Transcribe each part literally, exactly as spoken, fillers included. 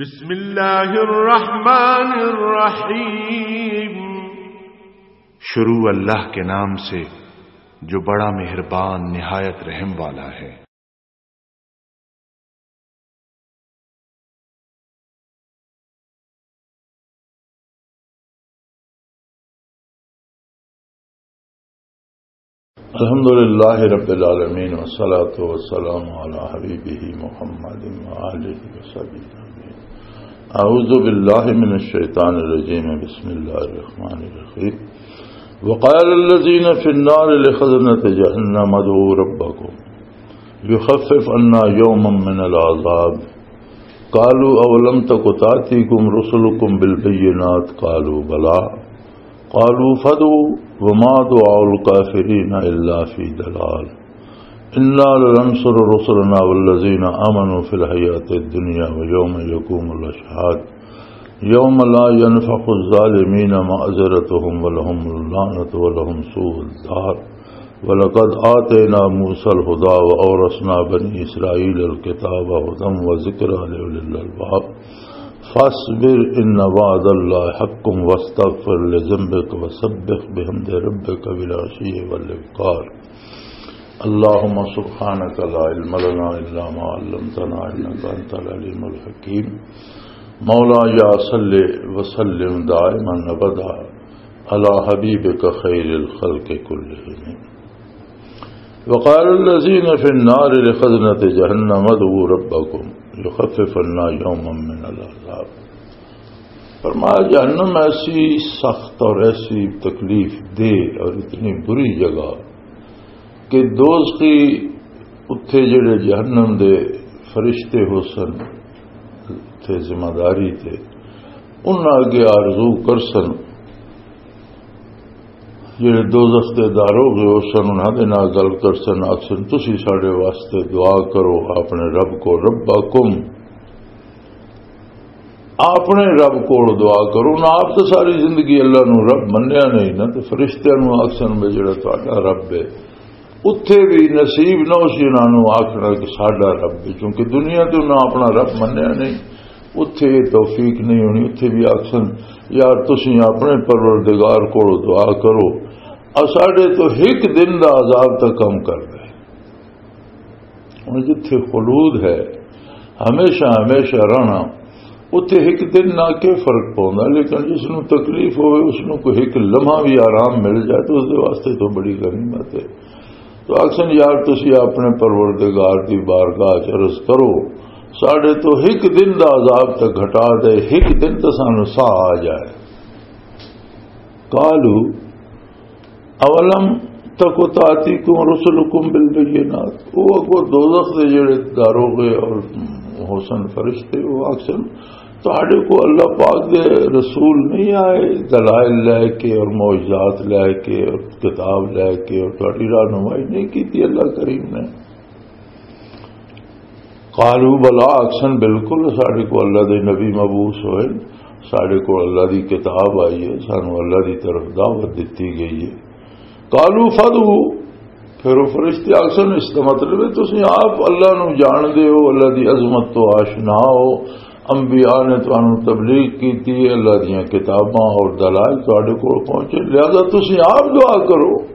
بسم اللہ الرحمن الرحیم۔ شروع اللہ کے نام سے جو بڑا مہربان نہایت رحم والا ہے۔ الحمد لله رب العالمين، والصلاة والسلام على حبيبه محمد وآله وصحبه أجمعين. أعوذ بالله من الشيطان الرجيم. بسم الله الرحمن الرحيم. وقال الذين في النار لخزنة جهنم ادعوا ربكم يخفف عنا يوما من العذاب. قالوا أولم تك تأتيكم رسلكم بالبينات؟ قالوا بلى. قالوا فادعوا وما دعاء الكافرين إلا في ضلال. إنا لننصر رسلنا والذين آمنوا في الحياة الدنيا ويوم يقوم الأشهاد. يوم لا ينفع الظالمين معذرتهم ولهم اللعنة ولهم سوء الدار. ولقد آتينا موسى الهدى وأورثنا بني إسرائيل الكتاب هدى وذكرى لأولي الألباب. فاصبر إن وعد الله حق واستغفر لذنبك وسبح بحمد ربك بالعشي والإبكار. اللهم سبحانك لا علم لنا إلا ما علمتنا إنك أنت العليم الحكيم. مولاي صل وسلم دائما أبدا على حبيبك خير الخلق كلهم. وقال الذين في النار لخزنة جهنم ادعوا ربكم يخفف عنا يوما من العذاب. فرمایا، جہنم ایسی سخت اور ایسی تکلیف دہ اور اتنی بری جگہ کہ دوزخی اتھے جڑے جہنم دے فرشتے ہو سن، اتھے ذمہ داری تے انہاں اگے آرزو کر سن، جڑے دوزخ دے داروغ ہو سن، انہاں دے نال گل کر سن، آکھ سن، "تسی ساڈے واسطے دعا کرو اپنے رب کو، ربکم، اپنے رب کول دعا کرو۔" نہ آپ تو ساری زندگی اللہ نو رب منیا نہیں، نہ تو فرشتیاں نو آکھ سن بھی جڑا تہاڈا رب ہے۔ اتھے بھی نصیب نہ ہو سی انہاں نوں آکھنا کہ ساڈا رب ہے، کیونکہ دنیا تے انہاں اپنا رب منیا نہیں۔ اتھے یہ توفیق نہیں ہونی، اتھے بھی آکھن، "یار، تسی اپنے پروردگار کول دعا کرو، اساڈے تو ایک دن دا عذاب تک کم کر دے۔" ہن جتھے خلود ہے، ہمیشہ ہمیشہ رہنا، اتھے ایک دن نہ کے فرق پوندا، لیکن جس نوں تکلیف ہوئے، اس نوں کوئی ایک لمحہ بھی آرام مل جائے تو اس دے واسطے تو بڑی غنیمت ہے۔ تو آکھن، "یار، تسی اپنے پروردگار دی بارگاہ چ عرض کرو، ساڈے تو ایک دن دا عذاب تے گھٹا دے، ایک دن تے سانوں ساہ آ جائے۔" قالوا اولم تک تاتیکم رسلکم بالبینات، وہ اگو دوزخ دے جڑے داروغے اور حسن فرشتے، وہ آکھن، "تہاڈے کو اللہ پاک دے رسول نہیں آئے دلائل لے کے اور معجزات لے کے اور کتاب لے کے اور تہاڈی رہنمائی نہیں کیتی اللہ کریم نے؟" قالوا بلا، آکھن، "بالکل، ساڈے کو اللہ دے نبی مبعوث ہوئے، ساڈے کو اللہ دی کتاب آئی ہے، سانو اللہ دی طرف دعوت دتی گئی ہے۔" قالوا فادعوا، پھر وہ فرشتے آکھن، اس کا مطلب ہے تسی آپ اللہ نو جان دے ہو، اللہ دی عظمت تو آشنا ہو، انبیاء نے تانوں تبلیغ کیتی ہے، اللہ دیاں کتاباں اور دلائل تہاڈے کول پہنچے، لہذا تسی آپ دعا کرو،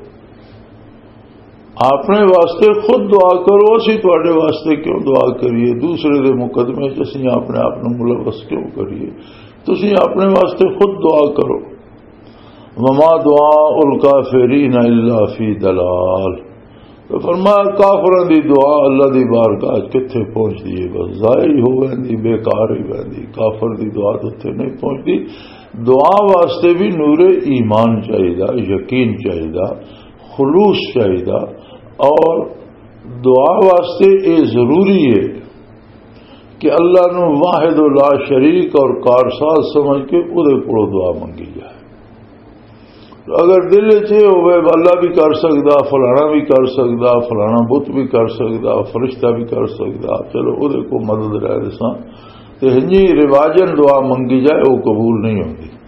اپنے واسطے خود دعا کرو، اسی تہاڈے واسطے کیوں دعا کریے؟ دوسرے دے مقدمے چ اسی اپنے آپ نوں ملوث کیوں کریے؟ تسی اپنے واسطے خود دعا کرو۔ وما دعاء الکافرین الا فی ضلال۔ تو فرمایا، کافراں دی دعا اللہ دی بارگاہ وچ کتھے پہنچدی ہے؟ بس ضائع ہی ہو ویندی، بیکار ہی ویندی۔ کافر دی دعا تو اتھے نہیں پہنچدی۔ دعا واسطے بھی نور ایمان چاہیدا، یقین چاہیدا، خلوص چاہیدا، اور دعا واسطے اے ضروری ہے کہ اللہ نو واحد و لا شریک اور کارساز سمجھ کے اودے کولوں دعا منگی جائے۔ اگر دل وچ یہ ہوئے، "اللہ بھی کر سکدا، فلانا بھی کر سکدا، فلانا بت بھی کر سکدا، فرشتہ بھی کر سکدا، چلو اودے کو مدد لے لساں"، تے ہنجی رواجن دعا منگی جائے، وہ قبول نہیں ہوندی۔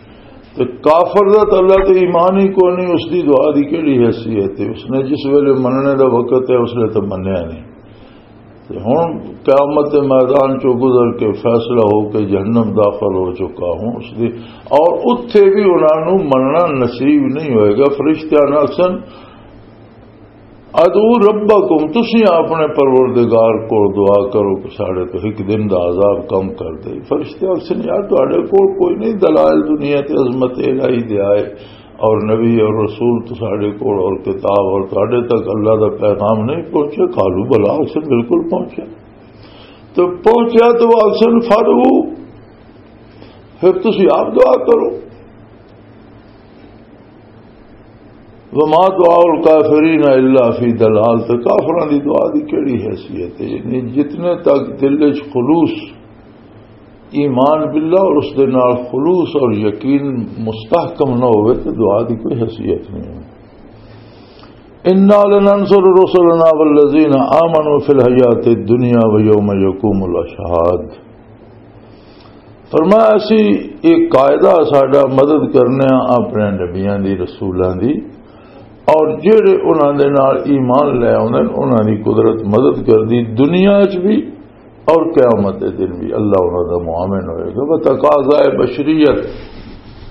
تے کافر دا تے اللہ تے ایمان ہی کوئی نہیں، اس دی دعا دی کیڑی حیثیت ہے؟ اس نے جس ویلے مننے دا وقت ہے، اس نے تے منیا نہیں۔ ہن قیامت دے میدان چوں گزر کے فیصلہ ہو کے جہنم داخل ہو چکا ہوں، اس دی، اور اتھے بھی انہاں نوں مننا نصیب نہیں ہوئے گا۔ فرشتیاں نوں آکھسن، "ادعو ربکم"، تسی اپنے پروردگار کول دعا کرو کہ ساڈے تو ایک دن دا عذاب کم کر دے۔ فرشتے آکھسن، "یار، تہاڈے کول کوئی نہیں دلائل دنیا تے عظمت الہی دے آئے، اور نبی اور رسول تو ساڈے کول اور کتاب اور تہاڈے تک اللہ دا پیغام نہیں پہنچا؟" قالوا بلا، آکھسن، "بالکل پہنچا۔" تو پہنچیا تو آکھسن، "فادعو"، پھر تسی آپ دعا کرو۔ "وما دعاء الکافرین الا فی ضلال"، تے کافراں دی دعا دی کیڑی حیثیت ہے؟ یعنی جتنے تک دل وچ خلوص، ایمان باللہ اور اس دے نال خلوص اور یقین مستحکم نہ ہوئے تے دعا دی کوئی حیثیت نہیں ہے۔ "انا لننصر رسلنا والذین آمنوا فی الحیات الدنیا ویوم یقوم الاشہاد"۔ فرمایا، "اسی ایک قاعدہ ساڈا مدد کرنے ہاں اپنے نبیاں دی، رسولاں دی، اور جڑے انہاں دے نال ایمان لے آوندے نے، انہاں دی قدرت مدد کردی دنیا وچ بھی اور قیامت دے دن بھی اللہ انہاں دا معاون ہوئے گا۔" وہ تقاضائے بشریت،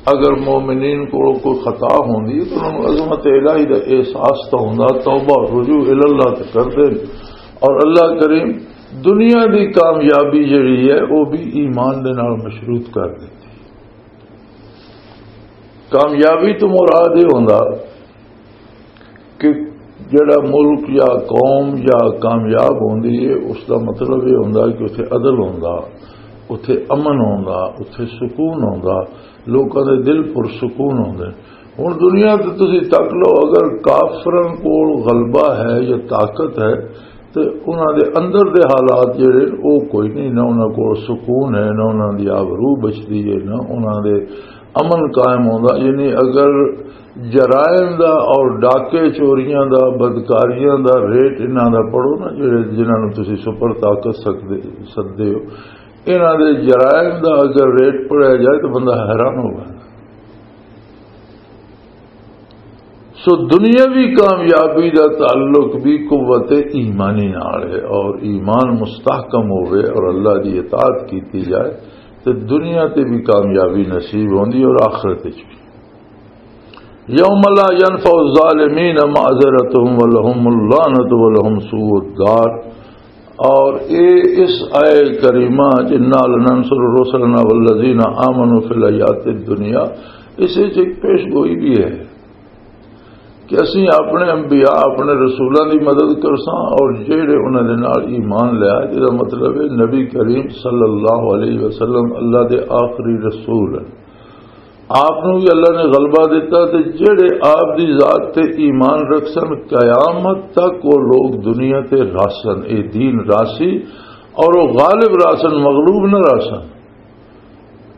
اگر مومنین کو کوئی خطا ہوندی ہے تو انہاں نوں عظمت الہی دا احساس تو ہوندا، توبہ رجوع الی اللہ تے کردے، اور اللہ کریم دنیا دی کامیابی جڑی ہے، وہ بھی ایمان دے نال مشروط کر دتی۔ کامیابی تو مراد یہ ہوندا کہ جڑا ملک یا قوم یا کامیاب ہوندی ہے، اس دا مطلب یہ ہوندا کہ اتھے عدل ہوندا، اتھے امن ہوندا، اتھے سکون ہوندا، لوکاں دے دل پرسکون ہوندے۔ ہن دنیا تے تسی تک لو، اگر کافراں کول غلبہ ہے یا طاقت ہے، تے انہاں دے اندر دے حالات جڑے نے، او کوئی نہیں، نہ انہاں کول سکون ہے، نہ انہاں دی آبرو بچدی ہے، نہ انہاں دے امن قائم ہوندا۔ یعنی اگر جرائم دا اور ڈاکے چوریاں دا، بدکاریاں دا ریٹ انہاں دا پڑھو نا، جڑے، جنہاں نوں تسی سپر طاقت سکدے، سددے ہو، انہاں دے جرائم دا اگر ریٹ پڑھیا جائے تو بندہ حیران ہو جائے۔ سو دنیاوی کامیابی دا تعلق بھی قوت ایمانی نال ہے، اور ایمان مستحکم ہوئے اور اللہ دی اطاعت کیتی جائے تو دنیا تے بھی کامیابی نصیب ہوندی اور آخرت وچ بھی۔ یوم لا ینفع الظالمین معذرتهم ولهم اللعنة ولهم سوء الدار۔ اور اے اس آئے کریمہ جنا لننصر رسلنا والذین آمنوا فی الحیات الدنیا، اس وچ ایک پیش گوئی بھی ہے کہ اسی اپنے انبیاء، اپنے رسولاں دی مدد کرساں، اور جہڑے انہاں دے نال ایمان لیا، جس دا مطلب ہے نبی کریم صلی اللہ علیہ وسلم اللہ دے آخری رسول ہیں۔ آپ نوں بھی اللہ نے غلبہ دیتا، تے جہڑے آپ دی ذات تے ایمان رکھسن، قیامت تک وہ لوگ دنیا تے راسن، اے دین راسی، اور وہ غالب راسن، مغلوب نہ راسن۔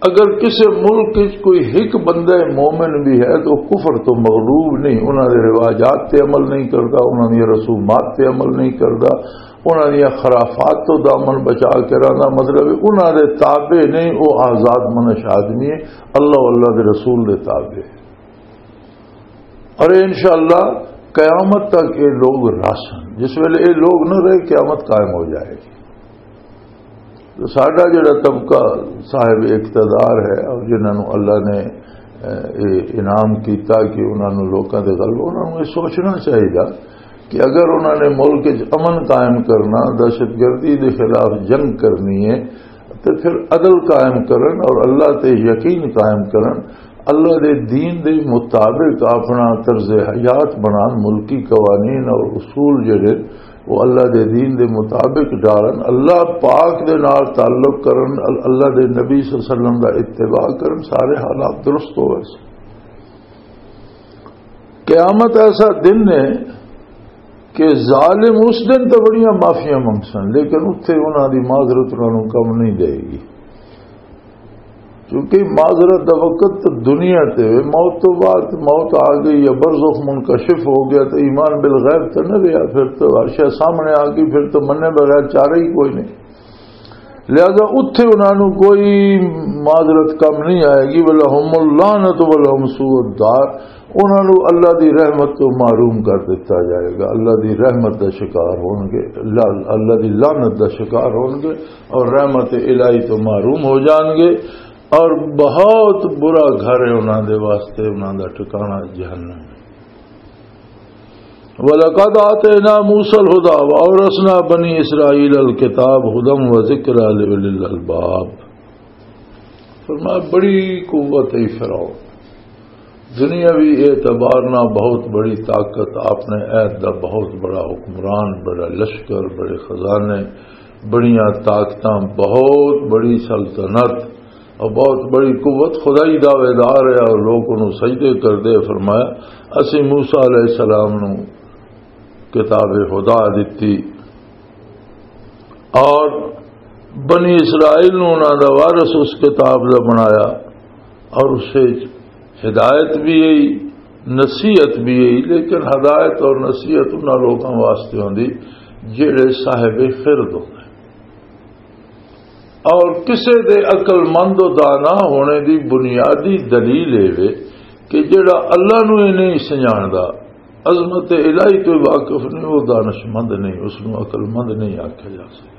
اگر کسی ملک وچ کوئی ایک بندہ مومن بھی ہے تو کفر تو مغلوب نہیں، انہاں دے رواجات تے عمل نہیں کردا، انہاں دی رسومات تے عمل نہیں کردا، انہاں دی خرافات تو دامن بچا کے رہنا، مطلب ہے انہاں دے تابع نہیں، وہ آزاد منش آدمی ہے، اللہ و اللہ دے رسول دے تابع ہے۔ اور انشاءاللہ قیامت تک یہ لوگ راسن، جس ویلے یہ لوگ نہ رہے، قیامت قائم ہو جائے گی۔ تو ساڈا جڑا طبقہ صاحب اقتدار ہے اور جنہاں نوں اللہ نے، اے، اے انعام کیتا کہ انہاں نوں لوکاں دے غلبہ، انہاں نوں یہ سوچنا چاہیے کہ اگر انہاں نے ملک وچ امن قائم کرنا، دہشت گردی دے خلاف جنگ کرنی ہے، تے پھر عدل قائم کرن اور اللہ تے یقین قائم کرن، اللہ دے دین دے مطابق اپنا طرز حیات بنان، ملکی قوانین اور اصول جڑے وہ اللہ دے دین دے مطابق ڈالن، اللہ پاک دے نال تعلق کرن، ال-، اللہ دے نبی صلی اللہ علیہ وسلم دا اتباع کرن، سارے حالات درست ہو ویسے۔ قیامت ایسا دن ہے کہ ظالم اس دن تو بڑیاں معافیاں منگسن، لیکن اتھے انہاں دی معذرت انہاں نوں کم نہیں دے گی۔ کیونکہ معذرت دا وقت تو دنیا تے وے، موت تو بعد، موت آ گئی یا برزخ منکشف ہو گیا تو ایمان بالغیب تو نہ رہا، پھر تو ہر شے سامنے آ گئی، پھر تو منے بغیر چارہ ہی کوئی نہیں۔ لہذا اتھے انہاں نوں کوئی معذرت کم نہیں آئے گی۔ وَلَهُمُ اللَّعْنَةُ وَلَهُمْ سُوءُ الدَّارِ، انہاں نوں اللہ دی رحمت تو محروم کر دتا جائے گا، اللہ دی رحمت دا شکار ہون گے، لا-، اللہ دی لعنت دا شکار ہون گے اور رحمت الہی تو محروم ہو جان گے۔ اور بہت برا گھر ہے انہاں دے واسطے، انہاں دا ٹھکانہ جہنم ہے۔ وَلَقَدْ آتَيْنَا مُوسَى الْهُدَى وَأَوْرَثْنَا بَنِي إِسْرَائِيلَ الْكِتَابَ هُدًى وَذِكْرَى لِأُولِي الْأَلْبَابِ۔ فرمایا، بڑی قوت ہے فرعون، دنیاوی اعتبار نہ بہت بڑی طاقت، آپ نے عہد دا بہت بڑا حکمران، بڑا لشکر، بڑے خزانے، بڑیاں طاقتاں، بہت بڑی سلطنت اور بہت بڑی قوت، خدائی دعوے دار ہے اور لوگ انہوں سجدے کردے۔ فرمایا، اسی موسیٰ علیہ السلام نوں کتاب خدا دتی اور بنی اسرائیل نوں انہاں دا وارث اس کتاب دا بنایا، اور اس وچ ہدایت بھی ہے، نصیحت بھی ہے، لیکن ہدایت اور نصیحت انہاں لوکاں واسطے ہوندی جڑے صاحب خرد ہوندے۔ اور کسے دے عقل مند و دانا ہونے دی بنیادی دلیل اے وے کہ جڑا اللہ نو ہی نہیں سنجاندا، عظمت الہی تو واقف نہیں، وہ دانش مند نہیں، اس نو عقل مند نہیں آکھیا جا سکدا۔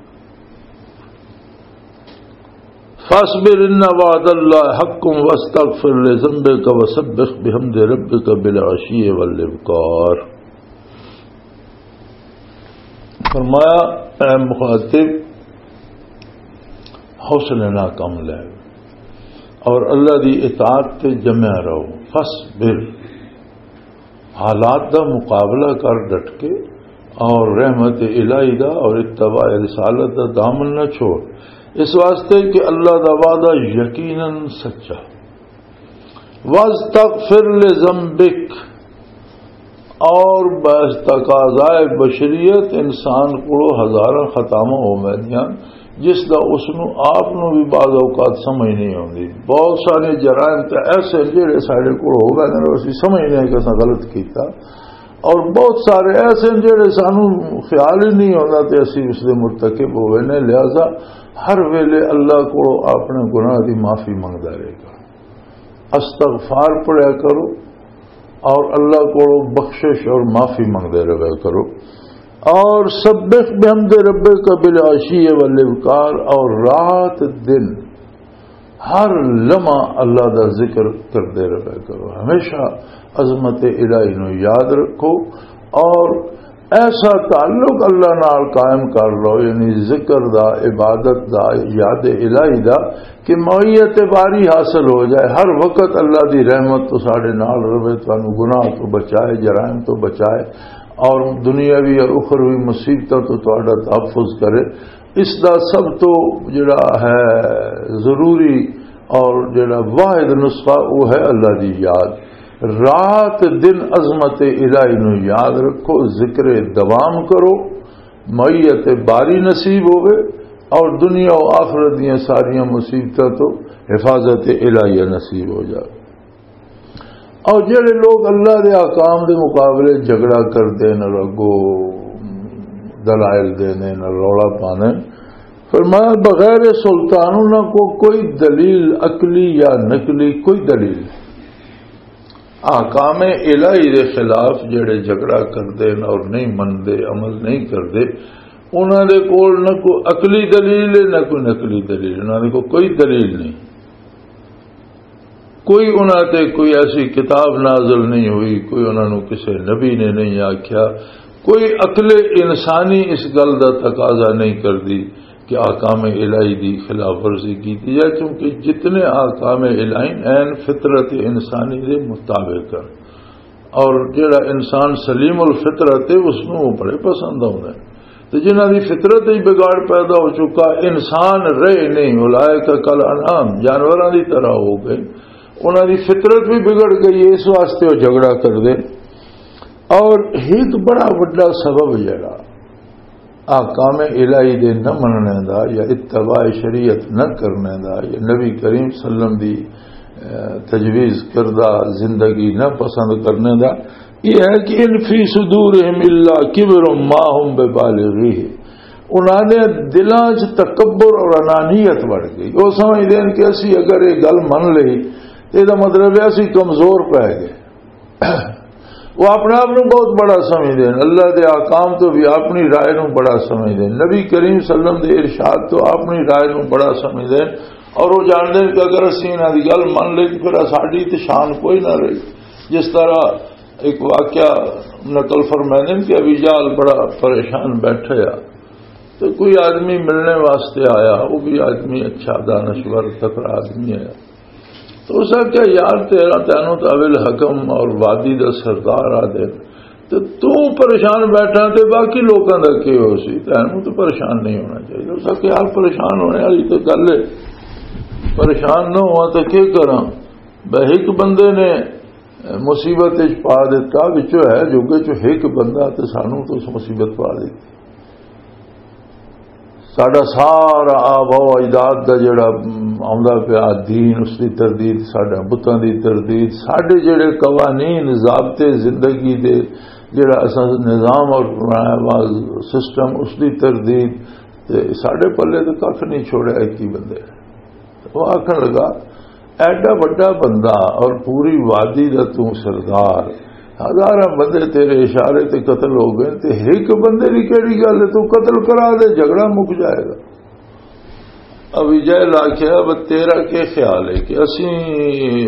فاصبر ان وعد اللہ حق واستغفر لذنبک وسبح بحمد ربک بالعشی والابکار۔ فرمایا، اے مخاطب، حوصلے نال کم لے اور اللہ دی اطاعت تے جمع رہو۔ فاصبر، حالات دا مقابلہ کر ڈٹ کے، اور رحمت الہی دا اور اتباع رسالت دا دامن نہ چھوڑ، اس واسطے کہ اللہ دا وعدہ یقیناً سچا۔ واستغفر لذنبک، اور بس تقاضائے بشریت انسان کو ہزاراں خطاواں ہو ویندیاں، جس دا اس نو آپ نو بھی بعض اوقات سمجھ نہیں آوندی۔ بہت سارے جرائم تے ایسے جڑے ساڈے کول ہو ویندے نے، اسی سمجھنے ہیں کہ اساں غلط کیتا، اور بہت سارے ایسے جڑے سانو خیال ہی نہیں آوندا تے اسی اس دے مرتکب ہو ویندے۔ لہذا ہر ویلے اللہ کو اپنے گناہ دی معافی منگدا رہے گا۔ استغفار پڑھیا کرو اور اللہ کو بخشش اور معافی منگتے رہا کرو۔ اور سبح بحمد ربک بالعشی والابکار، اور رات دن ہر لمحہ اللہ دا ذکر کرتے رہا کرو۔ ہمیشہ عظمت الہی نو یاد رکھو اور ایسا تعلق اللہ نال قائم کر لو، یعنی ذکر دا، عبادت دا، یاد الہی دا، کہ معیت باری حاصل ہو جائے۔ ہر وقت اللہ دی رحمت تو ساڈے نال رہے، تانوں گناہ تو بچائے، جرائم تو بچائے، اور دنیاوی اور اخروی مصیبتاں تو تہاڈا تحفظ کرے۔ اس دا سب تو جڑا ہے ضروری اور جڑا واحد نسخہ، وہ ہے اللہ دی یاد۔ رات دن عظمت الہی نو یاد رکھو، ذکر دوام کرو، معیت باری نصیب ہوئے، اور دنیا و آخرت دیاں ساریاں مصیبتاں تو حفاظت الہیہ نصیب ہو جائے۔ اور جڑے لوگ اللہ دے احکام دے مقابلے جھگڑا کردے نے، اگو دلائل دینے نے، رولا پانے، فرمایا، بغیر سلطان انہاں کو کوئی دلیل عقلی یا نقلی، کوئی دلیل نہیں۔ احکام الہی دے خلاف جڑے جھگڑا کردے نے اور نہیں مندے، عمل نہیں کردے، انہاں دے کول نہ کوئی عقلی دلیل ہے، نہ کوئی نقلی دلیل، انہاں دے کول کوئی دلیل نہیں۔ کوئی انہاں تے کوئی ایسی کتاب نازل نہیں ہوئی، کوئی انہاں نوں کسے نبی نے نہیں آکھیا، کوئی عقل انسانی اس گل دا تقاضا نہیں کردی کہ احکام الہی دی خلاف ورزی کیتی جائے، کیونکہ جتنے احکام الہی عین فطرت انسانی دے مطابق ہیں، اور جڑا انسان سلیم الفطرت ہے، اس نوں وہ بڑے پسند آؤندے ہیں۔ تے جنہاں دی فطرت وچ بگاڑ پیدا ہو چکا، انسان رہے نہیں، اولئک کل انعام، جانوراں دی طرح ہو گئے، انہاں دی فطرت بھی بگڑ گئی ہے، اس واسطے وہ جھگڑا کردے۔ اور ایک بڑا وڈا سبب جڑا احکام الہی دے نہ مننے دا یا اتباع شریعت نہ کرنے دا یا نبی کریم صلی اللہ علیہ وسلم دی، اے، تجویز کردہ زندگی نہ پسند کرنے دا، یہ ہے کہ ان فی صدورہم الا کبر ما ہم ببالغیہ۔ انہاں دے دلاں 'چ تکبر اور انانیت بڑھ گئی۔ وہ سمجھدے ہیں کہ اسی اگر یہ گل من لئی، تے دا مطلب ہے اسی کمزور پے گئے۔ وہ اپنے آپ نوں بہت بڑا سمجھدے ہیں، اللہ دے احکام تو بھی اپنی رائے نوں بڑا سمجھدے ہیں، نبی کریم صلی اللہ علیہ وسلم دے ارشاد تو اپنی رائے نوں بڑا سمجھدے ہیں۔ اور وہ جانتے ہیں کہ اگر اسی انہاں دی گل من لئی تو پھر ساڈی تے شان کوئی نہ رہی۔ جس طرح ایک واقعہ نقل فرمائے نے کہ ابی جہل بڑا پریشان بیٹھا ہے، تو کوئی آدمی ملنے واسطے آیا، وہ بھی آدمی اچھا دانشور تکڑا آدمی ہے۔ تو اس نے کہا، "یار، تیرا، تینوں تو ابی الحکم اور وادی دا سردار آ دے، تو تو پریشان بیٹھا تے باقی لوکاں دا کی ہو سی؟ تینوں تو پریشان نہیں ہونا چاہیے۔" اس نے کہا، "یار، پریشان ہونے والی تو گل ہے، پریشان نہ ہوا تو کی کراں؟" بس ایک بندے نے مصیبت وچ پا دیتا، وچوں ہے جو کہ چو ایک بندہ تے سانوں تو اس مصیبت پا دیتی۔ ساڈا سارا آبا و اجداد دا جڑا، م، آندا پیا دین، اس دی تردید، ساڈے بتاں دی تردید، ساڈے جڑے قوانین، ضابطے زندگی دے، جڑا اساں نظام اور بنایا ہوا سسٹم، اس دی تردید، تے ساڈے پلے تے ککھ نہیں چھوڑیا ایک ہی بندے۔ وہ آکھن لگا، "ایڈا وڈا بندہ اور پوری وادی دا توں سردار، ہزاراں بندے تیرے اشارے تے قتل ہو گئے، تے ایک بندے دی کیڑی گل ہے؟ توں قتل کرا دے، جھگڑا مک جائے گا۔" ابی جہل آکھیا، "بس تیرا کی خیال ہے کہ اسی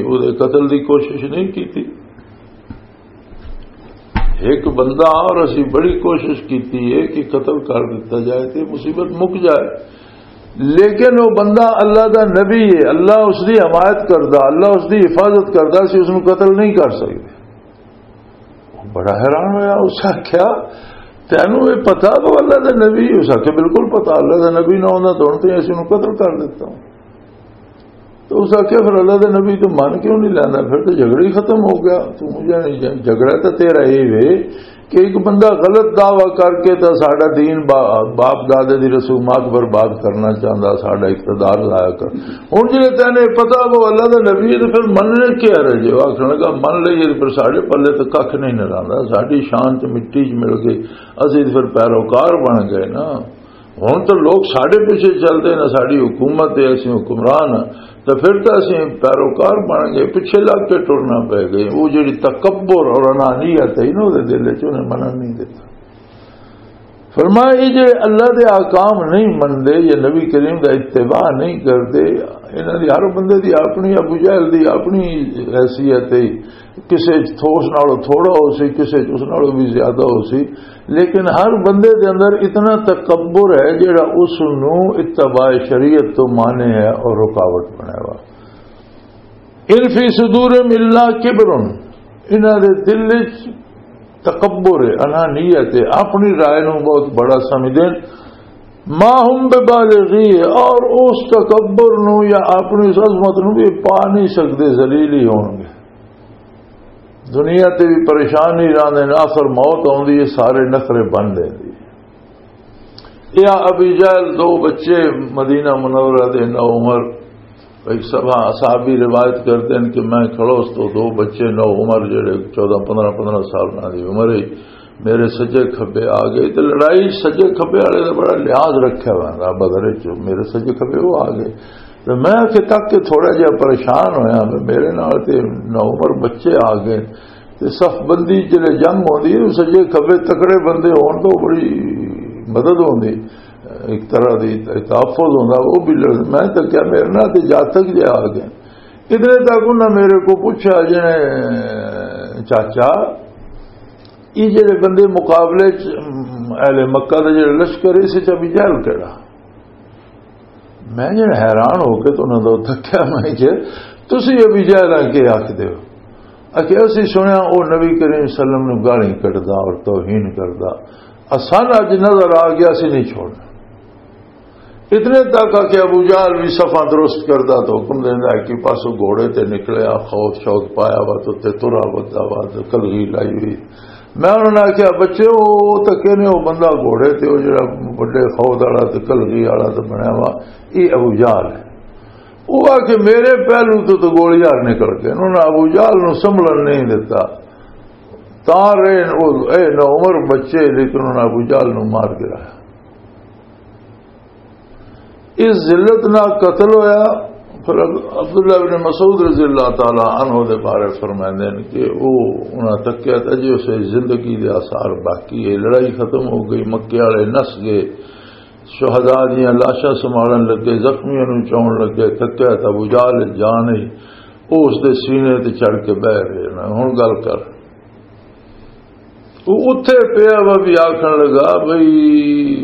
اودے قتل دی کوشش نہیں کیتی؟" ایک بندہ اور اسی بڑی کوشش کیتی ہے کہ قتل کر دتا جائے تے مصیبت مک جائے، لیکن وہ بندہ اللہ دا نبی ہے، اللہ اس دی حمایت کردا، اللہ اس دی حفاظت کردا، اسی اس نوں قتل نہیں کر سکدے۔ وہ بڑا حیران ہویا، اس آکھیا، "تینوں یہ پتا وہ اللہ دا نبی ہے؟" اس آکھیا، "بالکل پتا، اللہ دا نبی نہ ہوندا تو ہن تے اسی نوں قتل کر دتا ہوں۔" تو اس آکھیا، "پھر اللہ دے نبی تو من کیوں نہیں لیندا؟ پھر تو جھگڑا ہی ختم ہو گیا۔ تو مجھے نہیں جان-، جھگڑا تو تیرا یہ وے کہ ایک بندہ غلط دعویٰ کر کے تو ساڈا دین با-، باپ دادے دی رسومات برباد کرنا چاہندا، ساڈا اقتدار ضائع کر۔" ہن جے تینے پتا وہ اللہ دے نبی ہے تو پھر مننے کیا رہ جے؟ وہ آکھن لگا، "من لئیے تو پھر ساڈے پلے تو ککھ نہیں نہ رہندا، ساڈی شان تے مٹی چ مل گئی، اسی تے پھر پیروکار بن گئے نا۔" ہن تو لوگ ساڈے پیچھے چلدے نے، ساڈی حکومت ہے، اسی حکمران ہاں، تو پھر تو اسی پیروکار بن گئے، پیچھے لگ کے ٹرنا پے گئے۔ وہ جڑی تکبر اور انانیت ہے نا، دے دل وچ انہیں منن نہیں دیتا۔ فرمایا، یہ جڑے اللہ دے احکام نہیں مندے یا نبی کریم دا اتباع نہیں کردے، انہاں دی ہر بندے دی اپنی، ابو جہل دی اپنی حیثیت ہے۔ کسے چ تھوس نالوں تھوڑا ہو سی، کسے چ اس نالوں بھی زیادہ ہو سی، لیکن ہر بندے دے اندر اتنا تکبر ہے جڑا اس نو اتباع شریعت تو مانے ہے اور رکاوٹ بنے وا۔ "ان فی صدورہم الا کبر"، انہاں دے دل وچ تکبر ہے، انانیت ہے، اپنی رائے نو بہت بڑا سمجھدے نے۔ "ما ہم ببالغی"، اور اس تکبر نو یا اپنی اس عظمت نو بھی پا نہیں سکدے، ذلیل ہی ہون گے۔ دنیا تے بھی پریشان ہی رہندے نے، آخر موت آندی ہے، سارے نخرے بن لیندی ہے۔ یا ابی جہل، دو بچے مدینہ منورہ دے، نو عمر، ایک صحابہ، صحابی روایت کرتے ہیں کہ میں کھڑوس تو دو بچے نو عمر، جڑے چودہ، پندرہ، پندرہ سال نہ دی عمر ہے، میرے سجے کھبے آ گئے۔ تے لڑائی سجے کھبے والے دا بڑا لحاظ رکھیا ہوا ہے بدر وچ، میرے سجے کھبے وہ آ گئے۔ تے میں کہ تک کے تھوڑا جہا پریشان ہویا، میں، میرے نال تے نو عمر بچے آ گئے۔ تے صف بندی جلے جنگ ہوندی ہے، سجے کھبے تکڑے بندے ہون تو بڑی مدد ہوندی، ایک طرح دی تحفظ ہوندا۔ وہ بھی لڑ-، میں تو کیا، میرے نال تے جاتک جہا آ گئے۔ اتنے تک انہاں میرے کو پوچھا، جنے، "چاچا، یہ جڑے بندے مقابلے چ، ام، اہل مکہ دے جڑے لشکر، اس چ ابی جہل کیڑا؟" میں جڑا حیران ہو کے تو انہاں دا تکیا، میں کہ، "تسی ابی جہل آ کے آکھ دیو؟" آکھیا، "اسی سنیا او نبی کریم صلی اللہ علیہ وسلم نو گالی کڈدا اور توہین کردا، اسان اج نظر آ گیا، اسی نہیں چھوڑنا۔" اتنے تک آ کہ ابو جہل بھی صفاں درست کردا تو حکم دیندا ہے کہ پاسوں گھوڑے تے نکلیا، خوف شوق پایا وا تو تے ترا ودا وا تے کلغی لائی ہوئی۔ میں انہاں نے آکھیا، "بچے، او تے کہنے او بندہ گھوڑے تے او جڑا بڑے خوف والا تے کلغی والا تے بنیا وا، یہ ابو جہل ہے۔" وہ آ کہ میرے پہلو تو تو گولیاں نکل گئے، انہوں نے ابو جہل نو سنبھلن نہیں دیتا۔ تاں رہے او، اے نو عمر بچے، لیکن انہوں نے ابو جہل نو مار گرایا۔ اس ذلت نال قتل ہویا، پر عبداللہ ابن مسعود رضی اللہ تعالی عنہ دے بارے فرمائندے نے کہ وہ انہاں تکیا تے اجے اسے زندگی دے آثار باقی ہے، لڑائی ختم ہو گئی، مکے والے نس گئے، شہداء دیاں لاشاں سنبھالن لگے، زخمیاں نوں چاؤن لگے، تکیا تے ابو جہل جان ہی، وہ اس دے سینے تے چڑھ کے بہ رہے نے۔ ہن گل کر، وہ اتھے پیا وا بھی آکھن لگا، بھئی،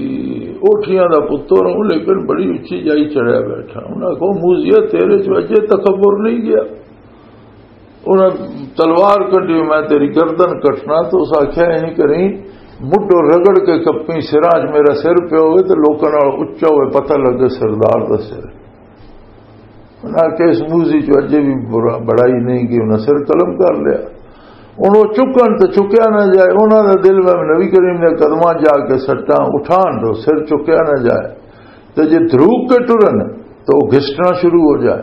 اوٹھیاں دا پتر ہوں، لیکن بڑی اچھی جائی چڑھیا بیٹھا۔ انہاں آکھیا، "موذیہ، تیرے چ اجے تکبر نہیں گیا؟" انہاں تلوار کڈی، "میں تیری گردن کٹنا۔" تو اس آکھیا، "اینی کریں، مڈو رگڑ کے کپی، سراں چ میرا سر پیا ہوئے تے لوکاں نال اچا ہوئے، پتہ لگے سردار دا سر۔" انہاں کہ اس موذی چ اجے بھی برا-، بڑائی نہیں کی، انہاں سر قلم کر لیا۔ ہن او چکن تے چکیا نہ جائے، انہاں دے دل میں نبی کریم نے قدماں جا کے سٹاں اٹھان دو، سر چکیا نہ جائے۔ تے جے دھروک کے ٹرن تو او گھسٹنا شروع ہو جائے۔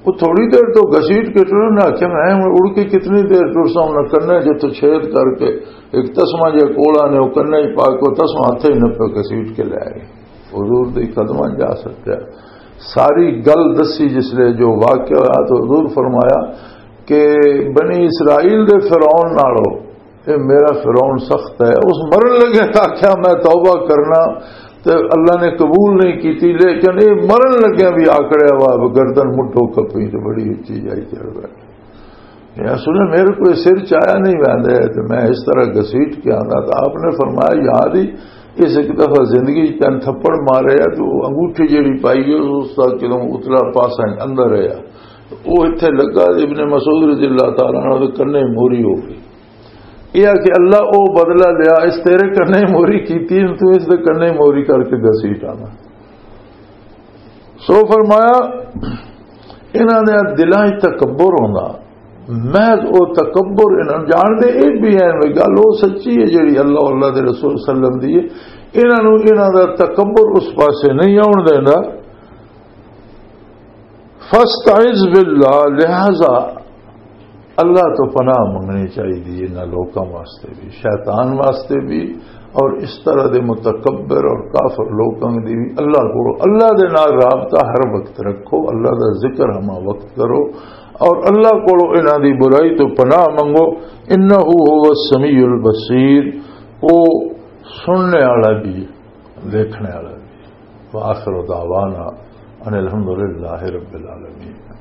وہ تھوڑی دیر تو گھسیٹ کے ٹرن، نہ آخیا، "میں ہن اڑ کے کتنی دیر ٹر سا؟" انہاں کنے جے تو چھید کر کے ایک تسمہ جے کولا نے، او کنے ہی پا کے او تسمہ ہتھے ہی نپے گھسیٹ کے لے آئے۔ حضور دے قدماں جا سکیا۔ ساری گل دسی جس لے جو واقعہ ہویا تو حضور فرمایا کہ بنی اسرائیل دے فرعون نالو اے میرا فرعون سخت ہے۔ اس مرن لگے آخیا، "میں توبہ کرنا"، تے اللہ نے قبول نہیں کیتی، لیکن اے مرن لگے بھی آکڑیا ہوا گردن مٹھو کپی تے بڑی اچھی جائی چڑھ بیٹھا۔ یا سنے، میرے کو سر چایا نہیں ویندا ہے، تو میں اس طرح گھسیٹ کے آندا۔ تو آپ نے فرمایا، "یاد ہی، اس ایک دفعہ زندگی چ تین تھپڑ مارے ہے، تو انگوٹھی جیڑی پائی گئی، اس دا کدوں اتلا پاسا اندر ہے۔" تو وہ اتھے لگا، ابن مسعود رضی اللہ تعالیٰ عنہ دے کنے موری ہو گئی۔ یہ آ کہ اللہ او بدلہ لیا، اس تیرے کنے موری کیتی، تو اس دے کنے موری کر کے گھسیٹ آنا۔ سو فرمایا، انہاں دے دلاں وچ تکبر ہوندا، محض او تکبر انہاں جان دے، اے بھی ہے گل او سچی ہے جڑی اللہ، اللہ دے رسول صلی اللہ علیہ وسلم دی ہے۔ انہاں نوں انہاں دا تکبر اس پاسے نہیں آون دیندا۔ فاستعذ باللہ، لہذا اللہ تو پناہ منگنی چاہیے انہاں لوکاں واسطے بھی، شیطان واسطے بھی، اور اس طرح دے متکبر اور کافر لوکاں دی بھی۔ اللہ کو، اللہ دے نال رابطہ ہر وقت رکھو، اللہ دا ذکر ہما وقت کرو، اور اللہ کو انہاں دی برائی تو پناہ منگو۔ انہ هو السمیع البصیر، او سننے والا بھی، دیکھنے والا بھی۔ وآخر دعوانا ان الحمدللہ رب العالمین۔